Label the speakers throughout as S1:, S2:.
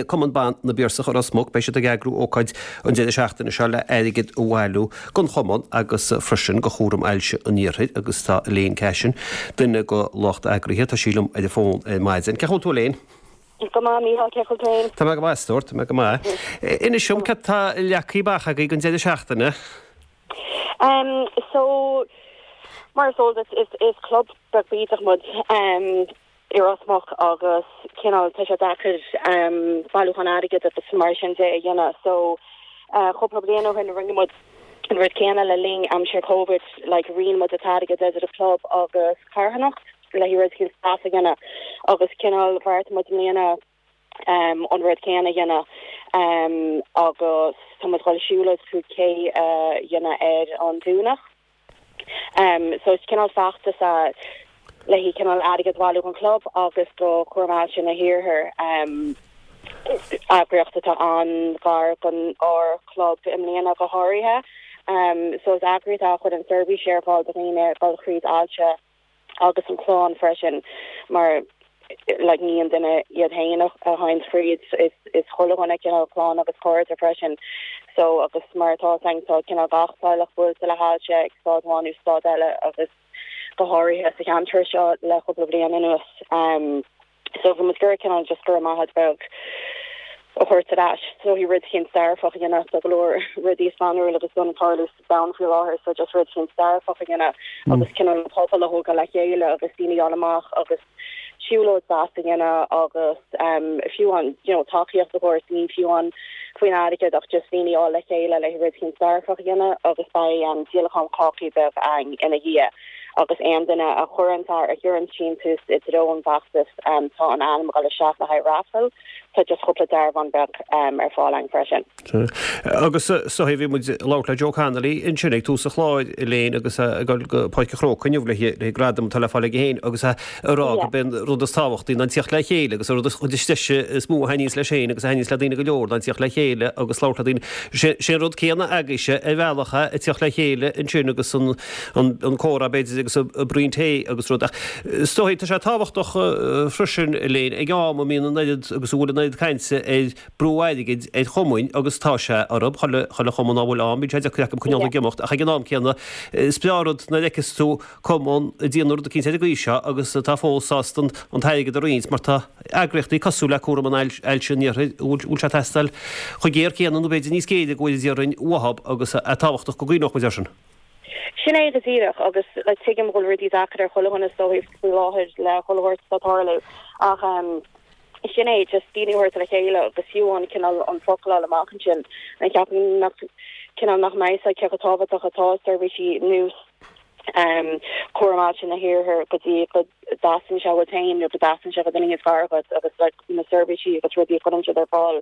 S1: Cumann Ban na bPiarsach i Ros Muc, beidh siad ag eagrú ócáid an deireadh seachtaine seo le airgead a bhailiú don chumann agus freisin do Chúram Ailse an Iarthair agus tá Elaine Cashin, duine de lucht eagraithe, tá sí liom ar an bhfón ar maidin. Cén chaoi a bhfuil tú Elaine?
S2: Go maith, Mícheál, cén chaoi a bhfuil tú féin?
S1: Tá mé go maith, a stór, tá mé go maith. Inis dom cad tá leagtha amach agaibh don deireadh seachtaine?
S2: Um, so, mar is eol duit, is, is club beag bídeach muid. Um, i Ros Muc agus cineál tá sé deacair bailiúchán airgid agus mar sin de a dhéanamh so cúpla bliain ó shin rinne muid an rud céanna le linn aimsir Covid like roinn muid an t-airgead idir an club agus carthanacht le haghaidh rud éicint deas a dhéanamh agus cineál bheartaigh muid i mbliana an rud céanna a dhéanamh agus tá muid ag dul siúlóid 5K a dhéanamh ar an Domhnach. So is cineál feachtas é le haghaidh cineál airgead a bhailiú don chlub agus do Chúram Ailse na hIarthair, eagraíocht atá an-ghar don ár chlub i mbliana go háirithe. So is eagraíocht é a chuireann seirbhísí ar fáil do dhaoine ag dul thríd ailse. agus an chlann freisin mar like ní an duine iad féin a théann thríd is is chuile dhuine cineál clann agus cairde freisin so agus mar atá a fhios againn tá cineál gach teaghlach buailte le hailse ag staid amháin nó staid eile agus go háirithe sa cheantar seo le cúpla bliain anuas. Um, So bhí muid ag iarraidh cineál just go raibh maith agat beag a thabhairt ar ais. So bhí rud éicint dearfach a dhéanamh tá go leor rudaí scanrúil agus dona ag tarlú sa domhan faoi láthair so just rud éicint dearfach a dhéanamh agus cineál an pobal a thógáil le chéile agus daoine a fháil amach agus siúlóid deas a dhéanamh agus um, fiú amháin you know, tacaíocht a thabhairt ní fiú amháin faoin airgead ach just daoine a fháil le chéile le rud éicint dearfach a dhéanamh agus beidh um, díolachán cácaí beag ann ina dhiaidh. agus aon duine a chuireann a chuireann síntiús i dtreo an bhfeachtais, tá an ainm ag dul isteach le haghaidh raffle, tá just cúpla dearbhán beag ar fáil ann freisin.
S1: Agus so bhí muid ag labhairt le Joe Connolly ansin ag tús an chláir, Elaine, agus é ag dul go Páirc an Chrócaigh inniu le gradam atá le fáil aige féin agus é ag rá gurb é an rud is tábhachtaí ná an tíocht le chéile agus an rud is deise is mó a thaitníonns leis féin agus a thaitníonns le daoine go leor ná an tíocht le chéile agus labhairt le daoine. Sé an rud céanna agaibhse ar bhealach é, ag tíocht le chéile ansin agus an an comhrá b'fhéidir agus an braon tae agus rud. Ach is dóigh, tá sé tábhachtach freisin, Elaine, ag am a mbíonn an oiread agus a bhfuil an oiread cainte ar brú airgid ar chumainn agus tá sé orthu, chuile, chuile chumann dá bhfuil ann, bíonn sé deacair acu coinneáil ag imeacht ach ag an am céanna is breá an rud nuair a fheiceas tú cumann ag déanamh rud eicínt ar an gcaoi seo agus atá fós sásta an t-airgead a roinnt mar tá eagraíochtaí cosúil le Cúram an Ailse an Iarthair a bhfuil sé ag teastáil chomh géar céanna nó b'fhéidir níos géire go bhfuil déarfainn uathub agus é tábhachtach go gcuimhneodh muid air sin.
S2: Sin é go díreach agus like tuigim go bhfuil rudaí deacair ar chuile dhuine is dóigh faoi láthair le chuile shórt atá ag tarlú ach ehm sin é just daoine a thabhairt le chéile agus fiú amháin cineál an focal a fháil amach ansin and ceapaim nach cineál nach mbeidh a fhios cé chomh tábhachtach atá seirbhísí nós ehm cúram ailse na hiarthair go dtí go dtasaíonn sé uait féin nó go dtasaíonn sé go duine is gar dhuit agus like na seirbhísí agus rudaí a chuireann siad ar fáil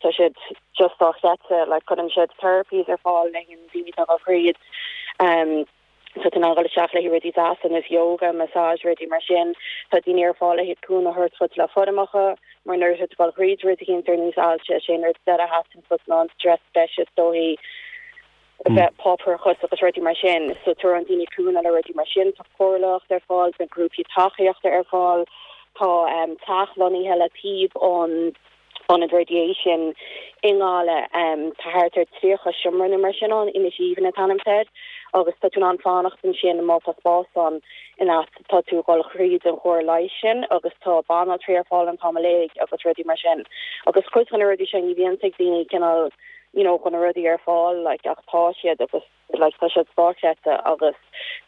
S2: tá siad just dochreidte like cuireann siad therapies ar fáil le daoine atá ag dul thríd. Tá tú in ann dul isteach le haghaidh rudaí deasa ar nós yoga, massage, rudaí mar sin. Tá daoine ar fáil le haghaidh cúnamh a thabhairt dhuit le foirmeacha, mar nuair atá tú ag dul thríd rud eicínt ar nós ailse, is é an rud deireadh a theastaíonn uait ná an stress breise is dóichí, bheith páipéarachas agus rudaí mar sin. So tabharann daoine cúnamh le rudaí mar sin. Tá comhairleoireacht ar fáil, bíonn grúpaí tacaíochta ar fáil, tá teach lonnaithe le taobh an Ionad Radiation i nGaillimh. Tá thart ar 30 seomra nó mar sin ann, Inis Aoibhinn an t-ainm atá air, agus tá tú in ann fanacht ansin má tá spás ann in áit tá tú ag dul thríd an chóir leighis sin agus tá banaltraí ar fáil an t-am uilig agus rudaí mar sin. Agus cuid de na rudaí sin ní bhíonn ag daoine cineál you know go na rudaí ar fáil like ach tá siad agus like tá siad dochreidte agus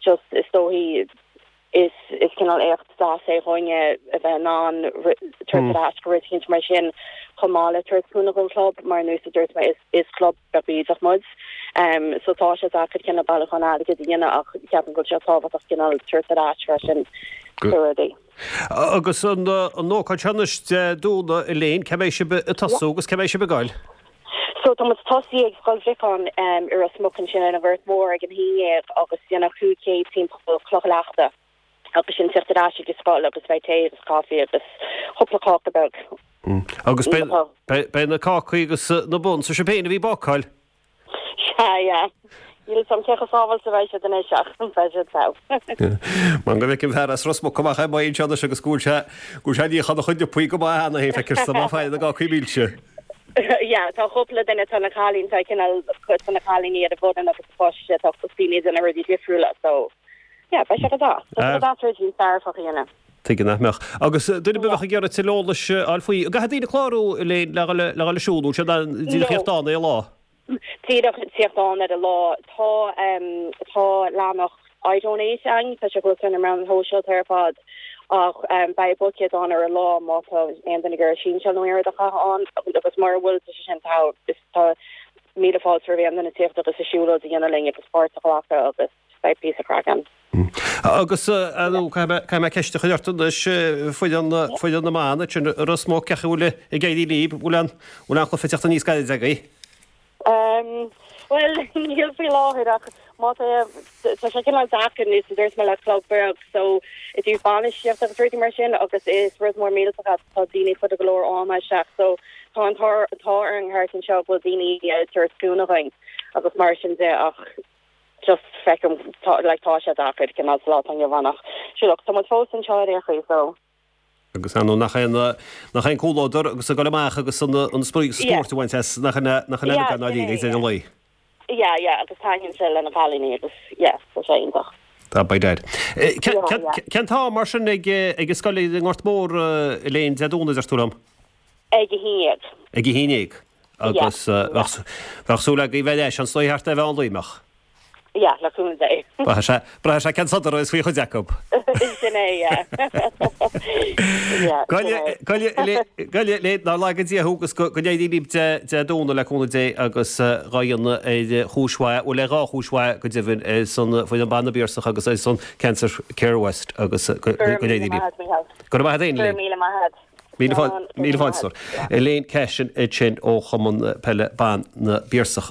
S2: just is dóichí Is is cineál éacht deas é dhúinne a bheith in ann tabhairt ar ais go rud eicínt mar sin chomh maith le tabhairt cúnamh don chlub mar nós a dúirt mé is is club beag bídeach muid. So tá sé deacair cineál bailiúchán airgid a dhéanamh ach ceapaim go bhfuil sé tábhachtach cineál tabhairt ar ais freisin do rudaí.
S1: Agus an an ócáid seo anois Dé Domhnaigh Elaine, cá mbeidh sibh ag tosú agus cá mbeidh sibh ag goil?
S2: So tá muid tosaí ag Scoil Bhriocáin i Ros Muc ansin ar an Ghort Mhór ag an 11 agus déanamh 5K timpeall Cloch Leachta agus sin tíocht ar ais ag an scoil agus beidh tae agus caife agus cúpla cáca beag.
S1: Agus beidh na cácaí agus na buns, sibh féin a bhí ag bácáil?
S2: Sea, yeah. Níl 'fhios a'm cé chomh sábháilte a bheidh siad anois ach beidh siad togha.
S1: Man go bhfeicim fear as Ros Muc amach ar maidin seo anois agus go bhfuil sé go bhfuil sé ag níochán a chuid liopaí go maith cheana féin feictear dom ag faire na gcácaí milse.
S2: Yeah, tá cúpla duine, tá na cailíní, tá cineál cuid de na cailíní ar an bhfoireann agus tá sé tá daoine ag déanamh rudaí difriúla so yeah, beidh sé go deas. Tá sé go deas rudaí dearfach a dhéanamh.
S1: Tuige nach mbeadh. Agus duine ar bith a bheadh ag iarraidh tuilleadh eolais a fháil faoi, an gcaithfidh daoine clárú le le dhul le dhul ag siúl nó sé díreach
S2: No.
S1: tíocht ann ar an lá?
S2: Díreach tíocht ann ar an lá. Tá tá leathanach iDonate ann, tá sé thuas ar na meáin shóisialta ar fad ach beidh buicéad ann ar an lá má tá aon duine ag iarraidh sínseáil nó aon rud a chaitheamh ann agus mura bhfuil tá sé sin togha. Is tá míle fáilte roimh aon duine tíocht agus a siúlóid a dhéanamh linn agus páirt a ghlacadh agus beidh píosa craic ann.
S1: Agus caithfidh mé ceist a chur ort anois, foireann foireann na mban ansin i Ros Muc, cén chaoi a bhfuil ag éirí libh, bhfuil an bhfuil an cluiche ag teacht aníos gairid agaibh?
S2: Bhuel, níl faoi láthair ach má tá tá sé cineál deacair níos a dúirt mé le club beag so i dtaobh bainistíocht agus rudaí mar sin agus is rud mór millteach é tá daoine ag cur go leor ama isteach so tá an t-ádh orainn thart anseo go bhfuil daoine ag tabhairt cúnamh dhúinn agus mar sin de ach just feicim tá like tá sé deacair cineál sa lá atá inniu ann ach sure look tá muid fós anseo ar aon chaoi so.
S1: Agus ar ndóigh nach é an nach é an comhluadar agus ag dul amach agus an an spraoi agus
S2: Yeah.
S1: spórt a bhaint as nach in nach in
S2: Yeah,
S1: eile gan
S2: sin
S1: dáiríre
S2: é,
S1: ag deireadh an lae.
S2: Yeah yeah agus taitníonn sé le na cailíní agus yeah tá sé iontach.
S1: Tá by dad.
S2: Yeah yeah.
S1: Cén t-am mar sin ag ag an scoil i nGort Mór Elaine Dé Domhnaigh a deir tú liom?
S2: Ag a haon dhéag.
S1: Ag a haon dhéag. Agus bheadh súil agaibh bheith ar ais anso thart ar mheán lae, mbeadh?
S2: Yeah, le cúnamh Dé.
S1: Braithfidh sé, braithfidh sé cén sodar is faoi chuid acu.
S2: Sin é, yeah. Yeah, sin é.
S1: Go le, nár laga Dia thú agus go n-éirí libh Dé Domhnaigh le cúnamh Dé agus dhá dhéanamh ar chúis mhaith, bhuel ar dhá chúis mhaith go deimhin, ar son Foireann Ban na bPiarsach agus ar son Cancer Care West agus go n-éirí libh.
S2: Go raibh maith agat, Mícheál.
S1: Go raibh maith agat féin,
S2: Go raibh míle maith agat.
S1: Míle fáilte. Elaine Cashin ansin ó Chumann Peile Ban na bPiarsach.